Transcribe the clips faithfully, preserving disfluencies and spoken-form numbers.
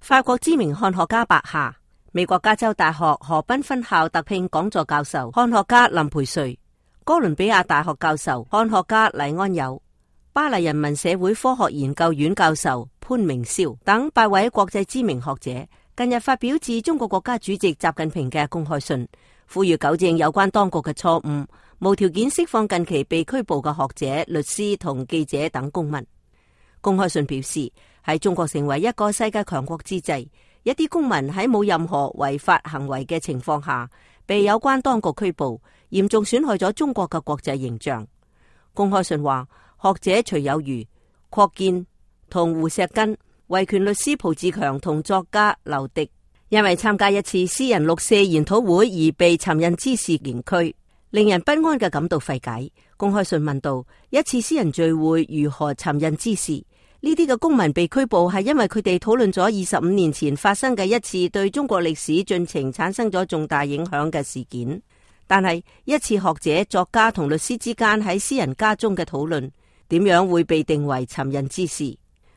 法國知名漢學家白夏，美國加州大學河濱分校特聘講座教授漢學家林培瑞，哥倫比亞大學教授漢學家黎安友，巴黎人民社會科學研究院教授潘明霄等八位國際知名學者，近日發表致中國國家主席習近平嘅公開信，呼籲糾正有關當局嘅錯誤，無條件釋放近期被拘捕嘅學者、律師同記者等公民。公開信表示，喺中國成為一個世界強國之際，一啲公民喺冇任何違法行為嘅情況下，被有關當局拘捕，嚴重損害咗中國嘅國際形象。公開信話，學者徐有餘、郝建同胡錫根、維權律師蒲志強同作家劉迪，因為參加一次私人六四研討會而被尋釁滋事刑拘，令人不安嘅感到費解。公開信問道，一次私人聚會如何尋釁滋事？呢啲嘅公民被拘捕係因為佢哋討論咗二十五年前發生嘅一次對中國歷史進程產生咗重大影響嘅事件。但係一次學者、作家同律師之間喺私人家中嘅討論，點樣會被定為尋釁之事？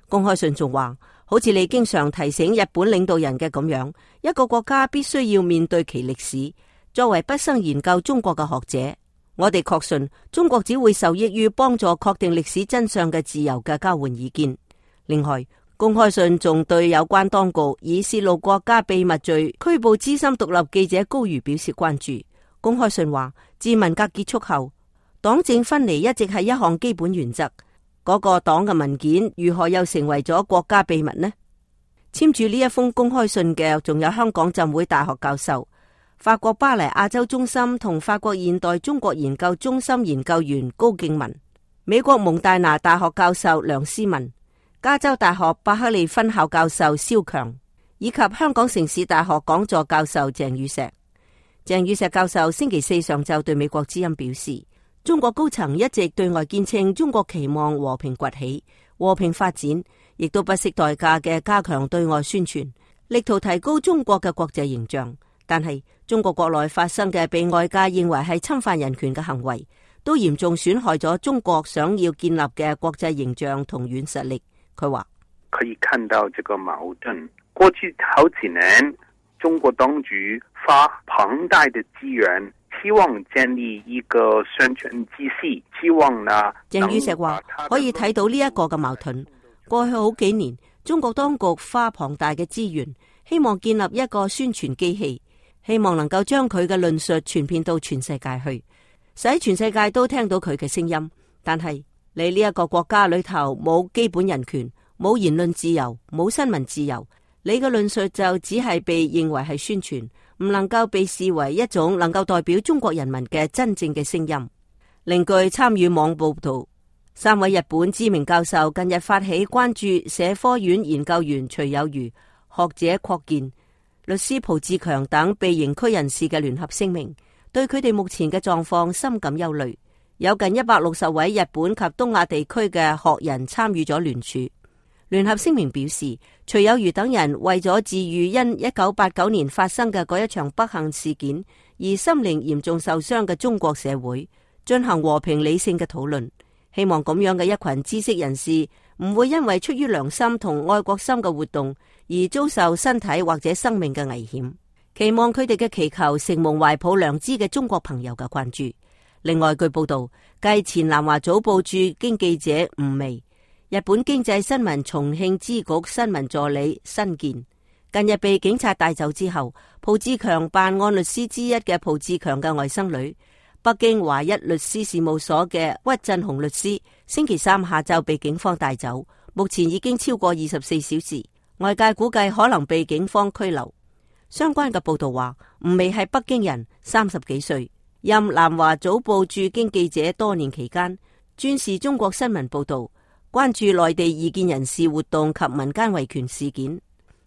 公開信仲話，好似你經常提醒日本領導人嘅咁樣，一個國家必須要面對其歷史。作為畢生研究中國嘅學者，我哋確信中國只會受益於幫助確定歷史真相嘅自由嘅交換意見。另外，公開信仲對有關當局以泄露國家秘密罪拘捕資深獨立記者高瑜表示關注。公開信話，自文革結束後，黨政分離一直係一項基本原則。嗰、那個黨嘅文件如何又成為咗國家秘密呢？簽署呢一封公開信嘅仲有香港浸會大學教授、法國巴黎亞洲中心同法國現代中國研究中心研究員高敬文，美國蒙大拿大學教授梁思文，加州大學伯克利分校教授蕭強，以及香港城市大學講座教授鄭宇碩。鄭宇碩教授星期四上晝對美國之音表示，中國高層一直對外堅稱中國期望和平崛起、和平發展，亦都不惜代價嘅加強對外宣傳，力圖提高中國嘅國際形象。但係中國國內發生嘅被外界認為係侵犯人權嘅行為，都嚴重損害咗中國想要建立嘅國際形象同軟實力。佢話可以看到這個矛盾，過去好幾年中國當局花龐大的資源，希望建立一個宣傳體系，希望呢。鄭宇碩話可以睇到呢一個嘅矛盾。過去好幾年，中國當局花龐大嘅資源，希望建立一個宣傳機器，希望能夠將佢嘅論述傳遍到全世界去，使全世界都聽到佢嘅聲音。但係你呢一個國家裏頭冇基本人權，冇言論自由，冇新聞自由，你嘅論述就只係被認為係宣傳，唔能夠被視為一種能夠代表中國人民嘅真正嘅聲音。另據參與網報道，三位日本知名教授近日發起關注社科院研究員徐有餘、學者郝建、律師蒲志強等被刑拘人士嘅聯合聲明，對佢哋目前嘅狀況深感憂慮。有近一百六十位日本及東亞地區嘅學人參與咗聯署。聯合聲明表示，徐有餘等人為咗治癒因一九八九年發生嘅嗰一場不幸事件而心靈嚴重受傷嘅中國社會，進行和平理性嘅討論。希望咁樣嘅一群知識人士唔會因為出於良心同愛國心嘅活動而遭受身體或者生命嘅危險。期望佢哋嘅祈求承蒙懷抱良知嘅中國朋友嘅關注。另外，據報道，繼前南華早報駐京記者吳薇、日本經濟新聞重慶支局新聞助理新健近日被警察帶走之後，蒲志強辦案律師之一嘅蒲志強嘅外甥女，北京華一律師事務所嘅屈振雄律師，星期三下晝被警方帶走，目前已經超過二十四小時，外界估計可能被警方拘留。相關嘅報道話，吳薇係北京人，三十幾歲，任南華早報駐京記者多年期間，專視中國新聞報道，關注內地異見人士活動及民間維權事件。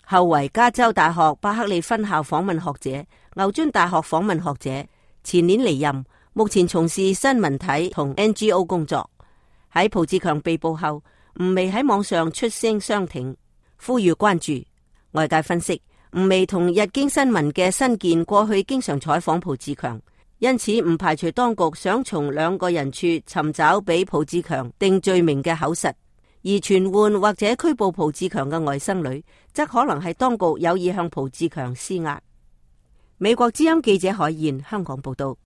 後為加州大學伯克利分校訪問學者、牛津大學訪問學者，前年離任，目前從事新聞體同 N G O 工作。喺蒲志強被捕後，吳薇喺網上出聲相挺，呼籲關注。外界分析，吳薇同日經新聞嘅新健過去經常採訪蒲志強，因此唔排除當局想從兩個人處尋找俾蒲志強定罪名嘅口實。而傳喚或者拘捕蒲志強嘅外甥女，則可能係當局有意向蒲志強施壓。美國之音記者海燕香港報道。